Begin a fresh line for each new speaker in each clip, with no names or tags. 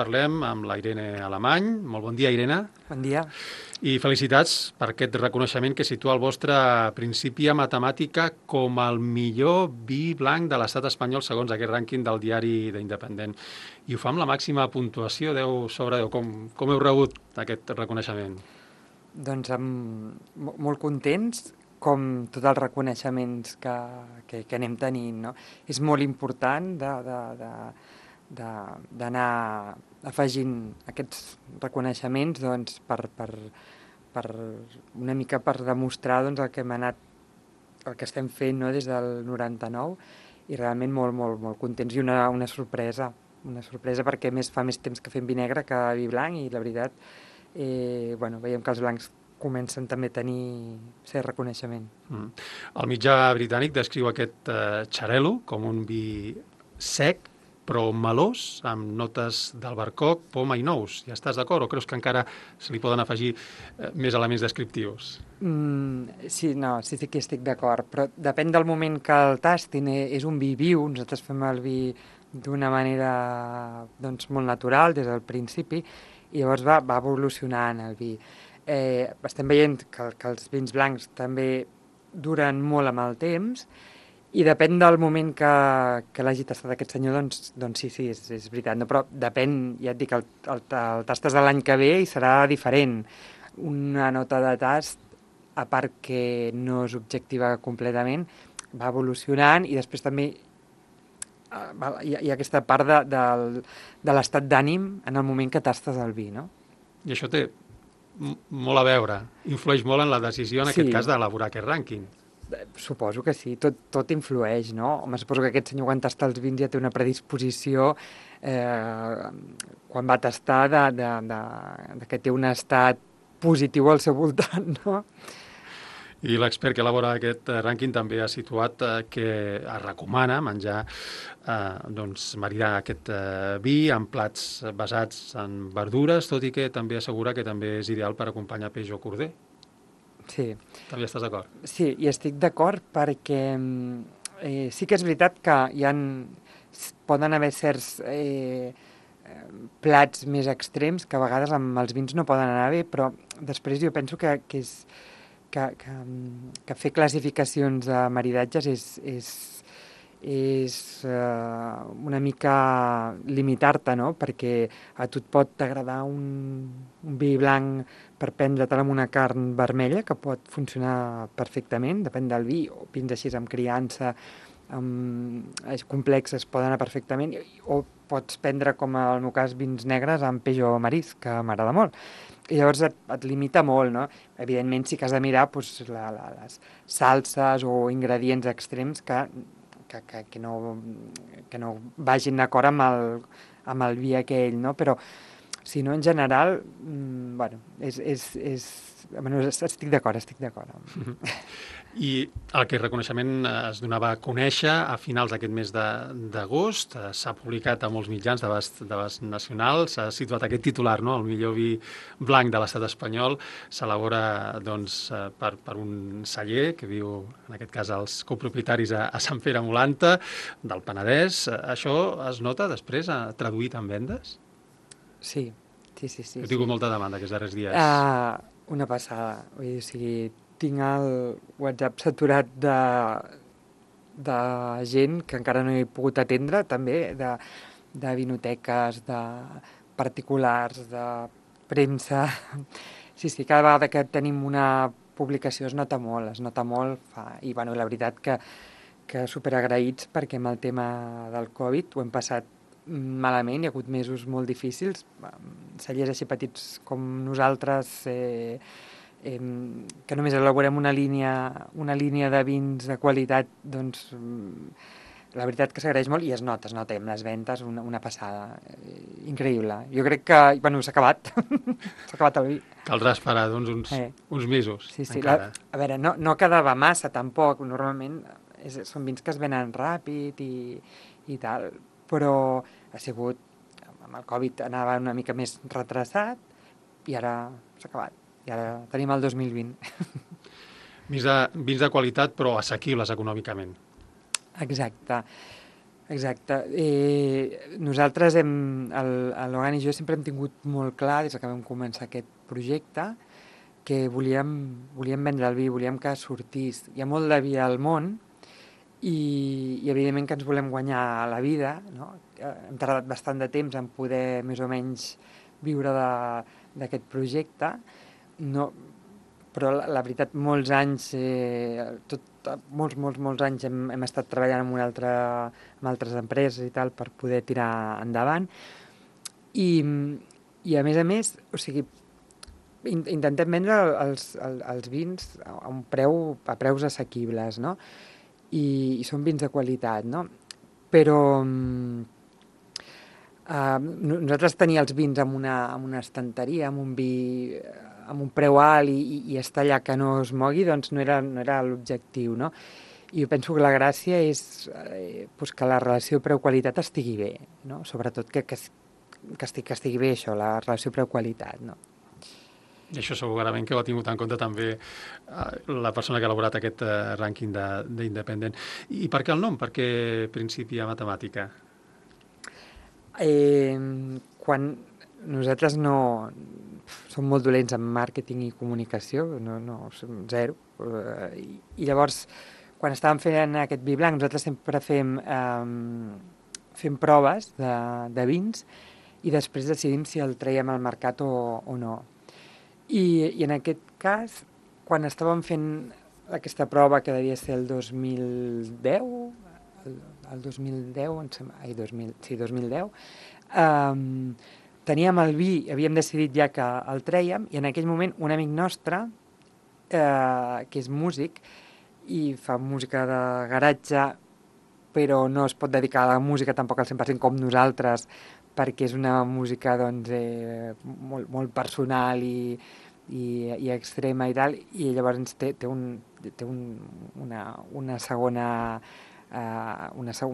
Parlem amb la Irene Alemany. Molt bon dia, Irene.
Bon dia.
I felicitats per aquest reconeixement que situa el vostre Principia Matemàtica com el millor vi blanc de l'estat espanyol segons aquest rànquing del diari d'Independent. I ho fa amb la màxima puntuació, 10 sobre 10. Com heu rebut aquest reconeixement?
Doncs molt contents, com tots els reconeixements que anem tenint, no? És molt important d'anar afegint aquests reconeixements doncs, per una mica per demostrar doncs, el que estem fent, no? Des del 99, i realment molt contents i una sorpresa perquè fa més temps que fem vi negre que vi blanc, i la veritat veiem que els blancs comencen també a tenir cert reconeixement.
El mitjà britànic descriu aquest xarel·lo com un vi sec però melós, amb notes d'albercoc, poma i nous. Ja estàs d'acord o creus que encara se li poden afegir més elements descriptius?
Sí que estic d'acord, però depèn del moment que el tastin. És un vi viu, nosaltres fem el vi d'una manera doncs, molt natural des del principi, i llavors va evolucionant el vi. Estem veient que els vins blancs també duren molt amb el temps, i depèn del moment que l'hagi tastat aquest senyor, doncs sí, és veritat. No, però depèn, ja et dic, el tastes de l'any que ve i serà diferent. Una nota de tast, a part que no és objectiva completament, va evolucionant, i després també hi ha aquesta part de l'estat d'ànim en el moment que tastes el vi, no?
I això té molt a veure, influeix molt en la decisió, en aquest cas, d'elaborar aquest rànquing.
Suposo que sí, tot influeix, no? Home, suposo que aquest senyor quan tasta els vins ja té una predisposició quan va tastar que té un estat positiu al seu voltant, no?
I l'expert que elabora aquest rànquing també ha situat que es recomana menjar, maridar aquest vi amb plats basats en verdures, tot i que també assegura que també és ideal per acompanyar peix o corder.
Sí.
També estàs d'acord?
Sí, i estic d'acord perquè sí que és veritat que poden haver certs plats més extrems que a vegades amb els vins no poden anar bé, però després jo penso que fer classificacions de maridatges és una mica limitar-te, no? Perquè a tu et pot agradar un vi blanc per prendre-te'l amb una carn vermella, que pot funcionar perfectament, depèn del vi, o vins així amb criança, complexes, poden anar perfectament, o pots prendre, com en el meu cas, vins negres amb peix o marisc, que m'agrada molt. I llavors et limita molt, no? Evidentment sí que has de mirar les salses o ingredients extrems que no vagin d'acord amb el vi aquell, no? Però, si no, en general, estic d'acord.
I aquest reconeixement es donava a conèixer a finals d'aquest mes d'agost, s'ha publicat a molts mitjans d'abast nacional, s'ha situat aquest titular, no? El millor vi blanc de l'estat espanyol s'elabora per un celler que viu, en aquest cas, els copropietaris a Sant Pere Molanta, del Penedès. Això es nota després traduït en vendes?
Sí.
Heu tingut molta demanda aquests darrers dies.
Una passada. Vull dir, tinc el WhatsApp saturat de gent que encara no he pogut atendre, també, de vinoteques, de particulars, de premsa. Sí, cada vegada que tenim una publicació es nota molt. I la veritat que superagraïts, perquè amb el tema del Covid ho hem passat malament, hi ha hagut mesos molt difícils. Cellers així petits com nosaltres, que només elaborem una línia de vins de qualitat, doncs la veritat que s'agraeix molt, i es nota amb les ventes una passada increïble. Jo crec que s'ha acabat s'ha acabat el vi.
Caldrà esperar uns mesos.
Sí. A veure, no quedava massa tampoc, normalment són vins que es venen ràpid i tal, però ha sigut, amb el Covid anava una mica més retrasat i ara s'ha acabat. I ara tenim el 2020.
Vins de qualitat, però assequibles econòmicament.
Exacte. Exacte. Nosaltres, l'Ogan i jo sempre hem tingut molt clar, des que vam començar aquest projecte, que volíem vendre el vi, volíem que sortís. Hi ha molt de vi al món i evidentment que ens volem guanyar la vida, no? Hem tardat bastant de temps en poder més o menys viure d'aquest projecte, no, però la veritat, molts anys, molts anys hem estat treballant amb altres empreses i tal per poder tirar endavant. I a més, o sigui, intentem vendre els vins a preus assequibles, no? I són vins de qualitat, no? Però nosaltres tenir els vins en una estanteria, amb un vi amb un preu alt i estar allà que no es mogui, doncs no era l'objectiu, no? I jo penso que la gràcia és pues que la relació preu-qualitat estigui bé, no? Sobretot que estigui bé això, la relació preu-qualitat, no?
I això segurament que ho ha tingut en compte també la persona que ha elaborat aquest rànquing d'independent. I per què el nom? Per què Principia Matemàtica?
Quan nosaltres som molt dolents en màrqueting i comunicació, som zero. I llavors, quan estàvem fent aquest vi blanc, nosaltres sempre fem proves de vins i després decidim si el traiem al mercat o no. I en aquest cas, quan estàvem fent aquesta prova, que devia ser el 2010, el 2010, teníem el vi, havíem decidit ja que el trèiem, i en aquell moment un amic nostre, que és músic, i fa música de garatge, però no es pot dedicar a la música tampoc al 100% com nosaltres, perquè és una música doncs, molt personal i extrema i tal, i llavors té un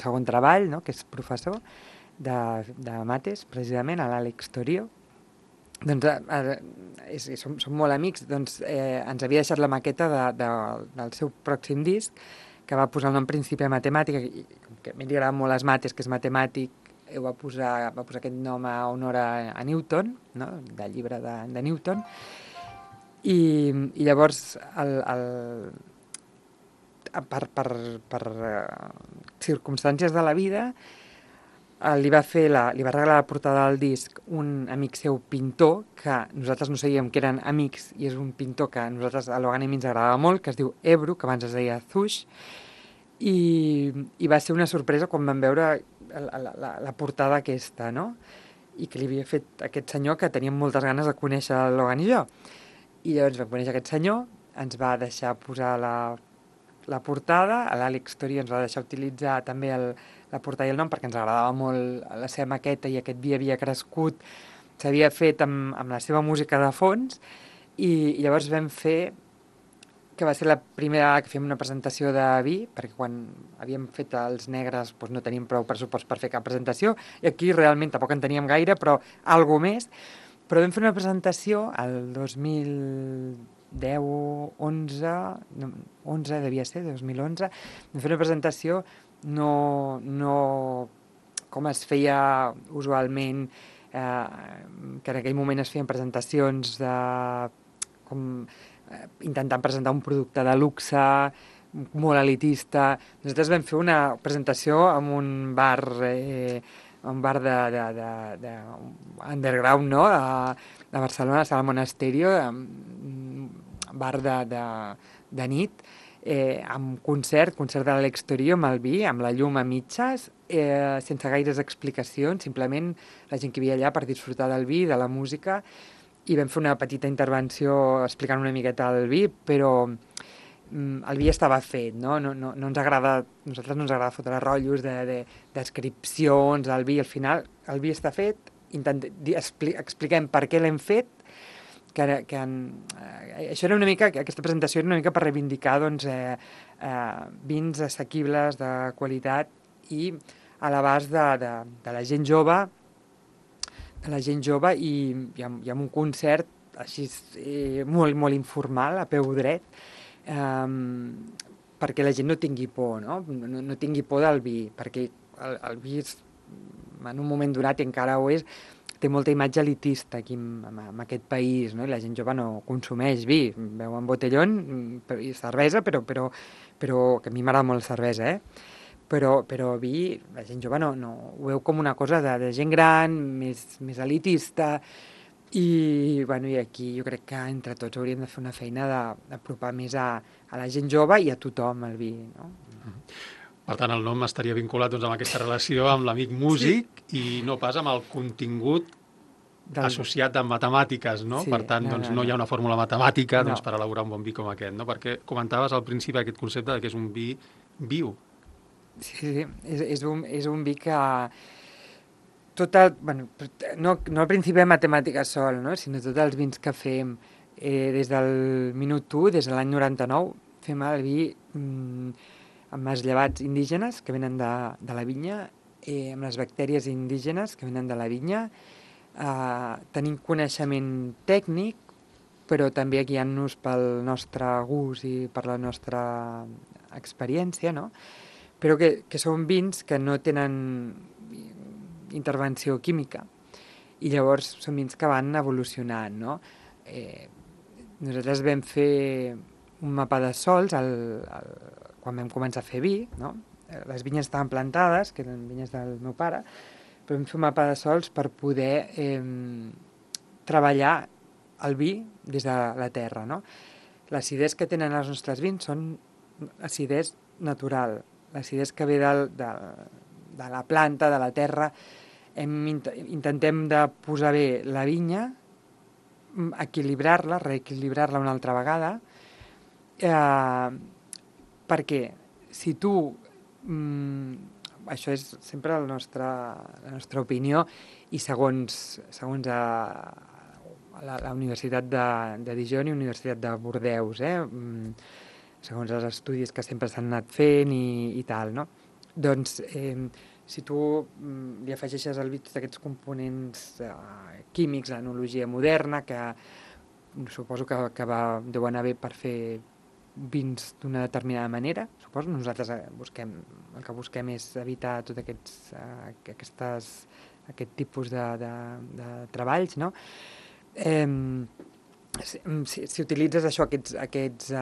segon treball, no?, que és professor de mates, precisament, a l'Àlex Torio. Doncs som molt amics, doncs ens havia deixat la maqueta del seu pròxim disc, que va posar el nom Principia Matemàtica, que a mi li agraden molt les mates, que és matemàtic, va posar aquest nom a honor a Newton, no?, del llibre de Newton, i llavors per circumstàncies de la vida li va regalar la portada del disc un amic seu pintor, que nosaltres no sabíem que eren amics, i és un pintor que a nosaltres a l'Ogan ens agradava molt, que es diu Ebru, que abans es deia Zush, i va ser una sorpresa quan vam veure la portada aquesta, no?, i que li havia fet aquest senyor que teníem moltes ganes de conèixer l'Ogan i jo. I llavors vam conèixer aquest senyor, ens va deixar posar la portada, l'Àlex Torio ens va deixar utilitzar també la portada i el nom perquè ens agradava molt la seva maqueta i aquest vi havia crescut, s'havia fet amb la seva música de fons, i llavors vam fer, que va ser la primera vegada que fèiem una presentació de vi, perquè quan havíem fet els negres doncs no teníem prou pressupost per fer cap presentació, i aquí realment tampoc en teníem gaire, però alguna més. Però vam fer una presentació el 11 devia ser, 2011, vam fer una presentació no com es feia usualment, que en aquell moment es feien presentacions intentant presentar un producte de luxe, molt elitista. Nosaltres vam fer una presentació en un bar de underground, no?, de Barcelona, a Sala Monasterio, bar de nit, amb concert de l'Àlex Torio, amb el vi, amb la llum a mitges, sense gaires explicacions, simplement la gent que hi havia allà per disfrutar del vi, de la música, i vam fer una petita intervenció explicant una miqueta el vi, però el vi estava fet, no? No ens agrada, a nosaltres no ens agrada fotre rotllos de descripcions del vi. Al final el vi està fet, expliquem per què l'hem fet, això era una mica, aquesta presentació era una mica per reivindicar doncs, vins assequibles, de qualitat i a l'abast de la gent jove, i amb un concert així molt, molt informal, a peu dret, perquè la gent no tingui por, no tingui por del vi, perquè el vi en un moment donat, i encara ho és, té molta imatge elitista aquí en aquest país, no? I la gent jove no consumeix vi, beuen botellón i cervesa, però que a mi m'agrada molt la cervesa, però vi, la gent jove no ho veu com una cosa de gent gran, més elitista, i aquí jo crec que entre tots hauríem de fer una feina d'apropar més a la gent jove i a tothom el vi, no?
Per tant, el nom estaria vinculat amb aquesta relació amb l'amic músic i no pas amb el contingut associat amb matemàtiques, no?
Sí,
per tant, no hi ha una fórmula matemàtica per elaborar un bon vi com aquest, no? Perquè comentaves al principi aquest concepte que és un vi viu.
Sí, és un vi que no al principi de matemàtiques sol, no? Sinó tots els vins que fem des del minut 1, des de l'any 99, fem el vi amb els llevats indígenes que venen de la vinya, amb les bactèries indígenes que venen de la vinya, tenim coneixement tècnic, però també guiant-nos pel nostre gust i per la nostra experiència, no? Però que són vins que no tenen intervenció química i llavors són vins que van evolucionant, no? Nosaltres vam fer un mapa de sols quan vam començar a fer vi, no? Les vinyes estaven plantades, que eren vinyes del meu pare, però vam fer un mapa de sols per poder treballar el vi des de la terra, no? L'acidesa que tenen els nostres vins són acidesa natural, l'acidesa que ve de la planta, de la terra. Intentem de posar bé la vinya, equilibrar-la, reequilibrar-la una altra vegada, perquè si tu, això és sempre la nostra opinió, i segons la Universitat de Dijon i la Universitat de Bordeus, segons els estudis que sempre s'han anat fent i tal, no? Doncs si tu li afegeixes al vi tots aquests components químics, l'enologia moderna, que suposo que deu anar bé per fer vins d'una determinada manera, suposo. Nosaltres el que busquem és evitar tot aquest tipus de treballs, no? Si utilitzes aquests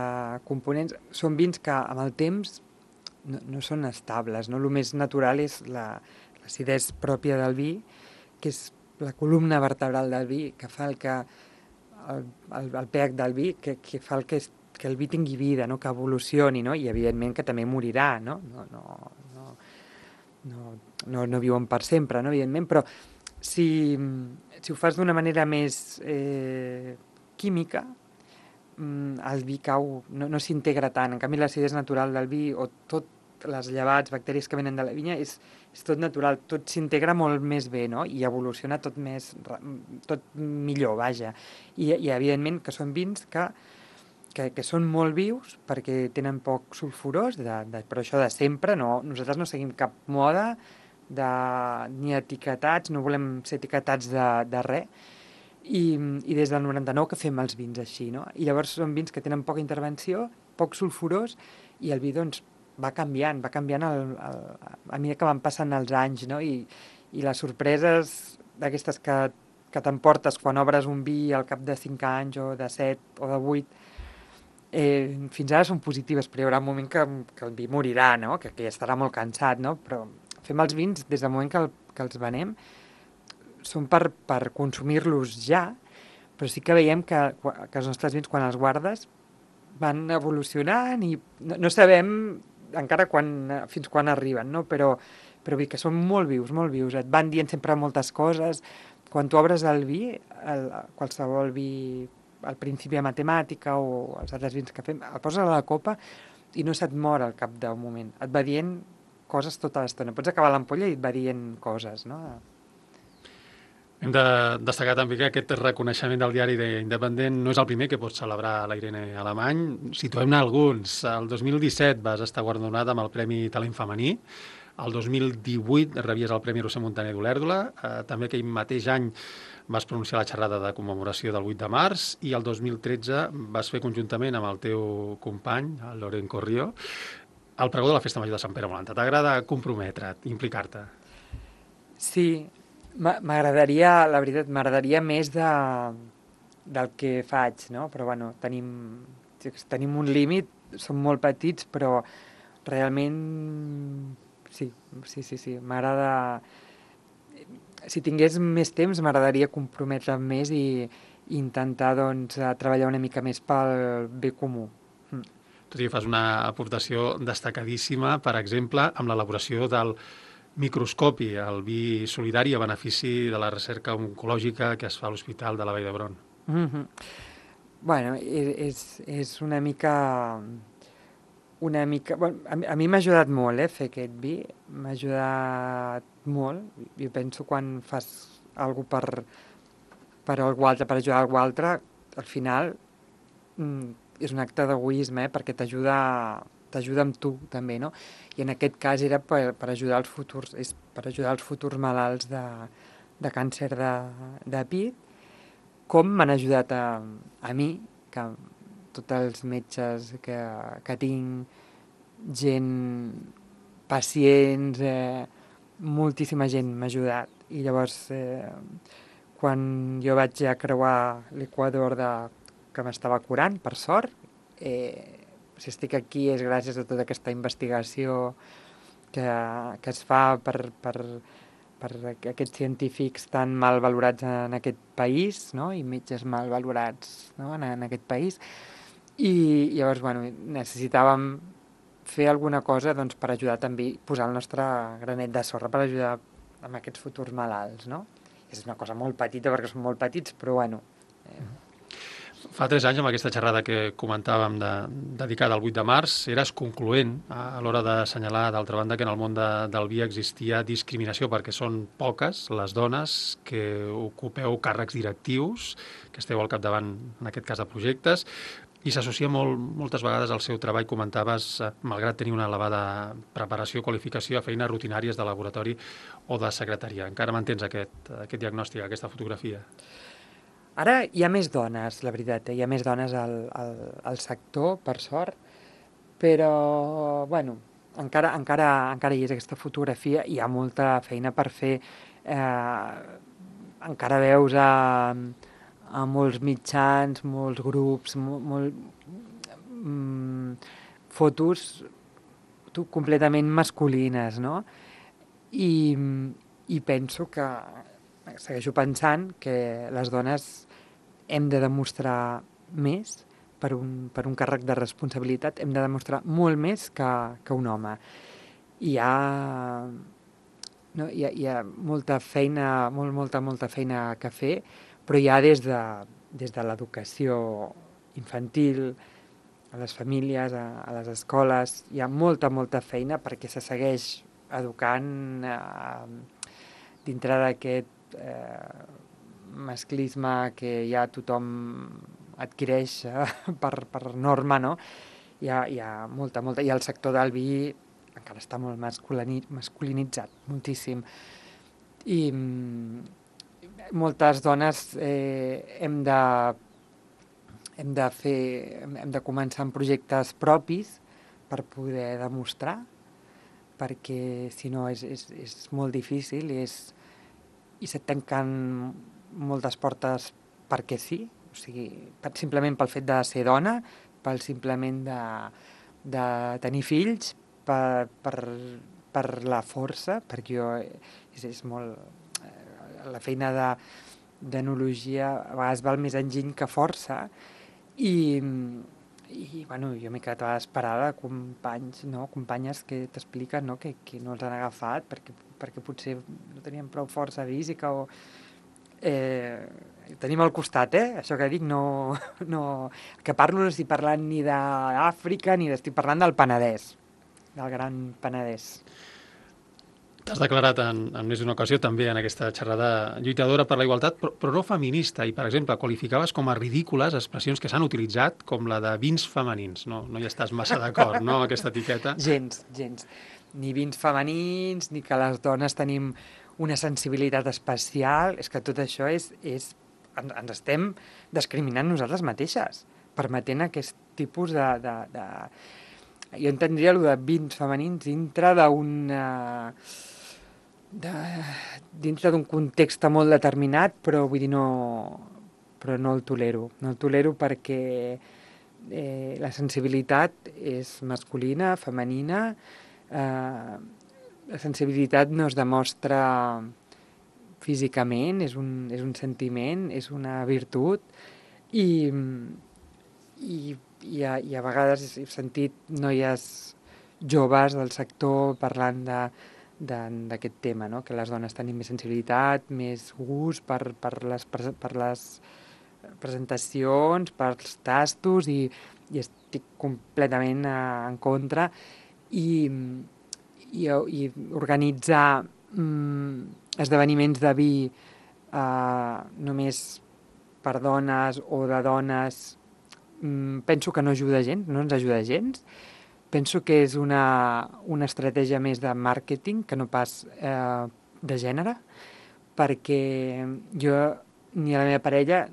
components, són vins que amb el temps no són estables, no? El més natural és l'acidesa pròpia del vi, que és la columna vertebral del vi, que fa el pH del vi, que fa que el vi tingui vida, no? Que evolucioni, no? I evidentment que també morirà, no? No viuen per sempre, no? Evidentment, però si ho fas d'una manera més química, el vi cau, no s'integra tant. En canvi, l'acidesa natural del vi, o tot les llevats, bactèries que venen de la vinya, és tot natural, tot s'integra molt més bé, no? I evoluciona tot millor, vaja. I evidentment que són vins que són molt vius perquè tenen poc sulfurós, però això de sempre, no? Nosaltres no seguim cap moda ni etiquetats, no volem ser etiquetats de res, i des del 99 que fem els vins així, no? I llavors són vins que tenen poca intervenció, poc sulfurós, i el vi, doncs, va canviant a mesura que van passant els anys, no? I les sorpreses d'aquestes que t'emportes quan obres un vi al cap de 5 anys o de 7 o de 8, fins ara són positives, però hi haurà un moment que el vi morirà, no? Que ja estarà molt cansat, no? Però fem els vins des del moment que els venem, són per consumir-los ja, però sí que veiem que els nostres vins, quan els guardes, van evolucionant i no sabem encara fins quan arriben, no? Però que són molt vius, et van dient sempre moltes coses. Quan tu obres el vi, qualsevol vi, al principi de matemàtica o els altres vins que fem, el poses a la copa i no se't mor al cap d'un moment. Et va dient coses tota l'estona. Pots acabar l'ampolla i et va dient coses, no?
Hem de destacar també que aquest reconeixement del diari Independent no és el primer que pot celebrar la Irene Alemany. Situem-ne alguns. El 2017 vas estar guardonat amb el Premi Talent Femení. El 2018 rebies el Premi Roser Montaner d'Olèrdola. També aquell mateix any vas pronunciar la xerrada de commemoració del 8 de març i el 2013 vas fer conjuntament amb el teu company, el Loren Corrió, el pregó de la Festa Major de Sant Pere Volanta. T'agrada comprometre't, implicar-te?
Sí, m'agradaria, la veritat, m'agradaria més del que faig, no? Però bueno, tenim un límit, som molt petits, però realment sí, m'agrada... Si tingués més temps m'agradaria comprometre'm més i intentar doncs, treballar una mica més pel bé comú.
Tu sí que fas una aportació destacadíssima, per exemple, amb l'elaboració del microscopi, el vi solidari a benefici de la recerca oncològica que es fa a l'Hospital de la Vall d'Hebron.
Mm-hmm. Bueno, és una mica... Bueno, a mi m'ha ajudat molt, fer aquest vi. M'ha ajudat molt. Jo penso quan fas alguna per algú altre, per ajudar algú altre, al final és un acte d'egoisme, perquè t'ajuda amb tu també, no? I en aquest cas era per ajudar els futurs malalts de càncer de pit, com m'han ajudat a mi, que tots els metges que tinc, gent, pacients, moltíssima gent m'ha ajudat. I llavors, quan jo vaig ja creuar l'Equador que m'estava curant, per sort, si estic aquí és gràcies a tota aquesta investigació que es fa per aquests científics tan mal valorats en aquest país, no? I metges mal valorats, no? en aquest país. I llavors, bueno, necessitàvem fer alguna cosa doncs, per ajudar també, posar el nostre granet de sorra per ajudar amb aquests futurs malalts, no? És una cosa molt petita perquè som molt petits, però bueno...
Fa 3 anys, amb aquesta xerrada que comentàvem dedicada al 8 de març, eres concloent a l'hora d'assenyalar, d'altra banda, que en el món del vi existia discriminació, perquè són poques les dones que ocupeu càrrecs directius, que esteu al capdavant, en aquest cas, de projectes, i s'associa moltes vegades al seu treball, comentaves, malgrat tenir una elevada preparació, qualificació, a feines rutinàries de laboratori o de secretaria. Encara mantens aquest diagnòstic, aquesta fotografia?
Ara hi ha més dones, la veritat, hi ha més dones al sector, per sort, però, bueno, encara hi és aquesta fotografia, hi ha molta feina per fer. Encara veus a molts mitjans, molts grups, fotos completament masculines, no? I penso que, segueixo pensant que les dones hem de demostrar més per un càrrec de responsabilitat, hem de demostrar molt més que un home. Hi ha molta feina, molta feina que fer, però ja des de l'educació infantil, a les famílies, a les escoles, hi ha molta feina perquè se segueix educant dintre d'aquest masclisme que ja tothom adquireix per norma, no? Hi ha molta... I el sector del vi encara està molt masculinitzat, moltíssim. I moltes dones hem de començar amb projectes propis per poder demostrar, perquè si no és molt difícil i se't tanquen moltes portes perquè sí, o sigui, simplement pel fet de ser dona, simplement de tenir fills, per la força, perquè és molt... La feina d'enologia a vegades val més enginy que força, i bueno, jo m'he quedat a vegades parada, companyes que t'expliquen, no? que no els han agafat perquè potser no tenien prou força física o... tenim al costat, això que dic, que parlo no estic parlant ni d'Àfrica ni estic parlant del Penedès, del Gran Penedès.
T'has declarat en més d'una ocasió també en aquesta xerrada lluitadora per la igualtat, però no feminista, i per exemple qualificaves com a ridícules expressions que s'han utilitzat com la de vins femenins. No hi estàs massa d'acord, no, amb aquesta etiqueta?
Gens. Ni vins femenins, ni que les dones tenim una sensibilitat especial. És que tot això ens estem discriminant nosaltres mateixes, permetent aquest tipus jo entendria allò de vins femenins dintre dintre d'un context molt determinat, però vull dir, però no el tolero. No el tolero perquè la sensibilitat és masculina, femenina, la sensibilitat no es demostra físicament, és un sentiment, és una virtut, i a vegades he sentit noies joves del sector parlant d'aquest tema, no? Que les dones tenim més sensibilitat, més gust per les presentacions, pels tastos, i estic completament en contra, i organitzar esdeveniments de vi només per dones o de dones, penso que no ajuda gens, no ens ajuda gens. Penso que és una estratègia més de màrqueting que no pas de gènere, perquè jo ni a la meva parella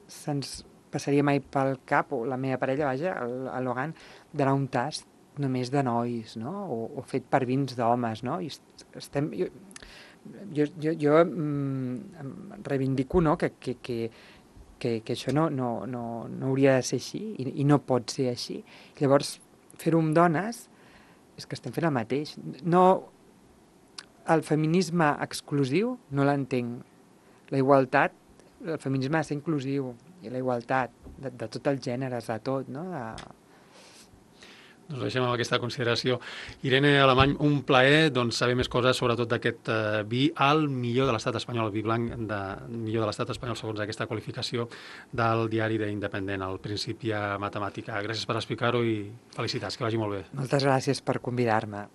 se'ns passaria mai pel cap, o la meva parella, vaja, el Logan, d'anar un tast només de nois, no? O fet per vins d'homes, no? I estem... Jo reivindico, no?, que això no hauria de ser així, i no pot ser així. Llavors, fer-ho amb dones és que estem fent el mateix. No, el feminisme exclusiu no l'entenc. La igualtat, el feminisme ha de ser inclusiu, i la igualtat de tots els gèneres, de tot, no?
Doncs deixem amb aquesta consideració. Irene Alemany, un plaer saber més coses sobretot d'aquest vi al millor de l'estat espanyol, el vi blanc millor de l'estat espanyol segons aquesta qualificació del diari d'Independent, el Principia Matemàtica. Gràcies per explicar-ho i felicitats, que vagi molt bé.
Moltes gràcies per convidar-me.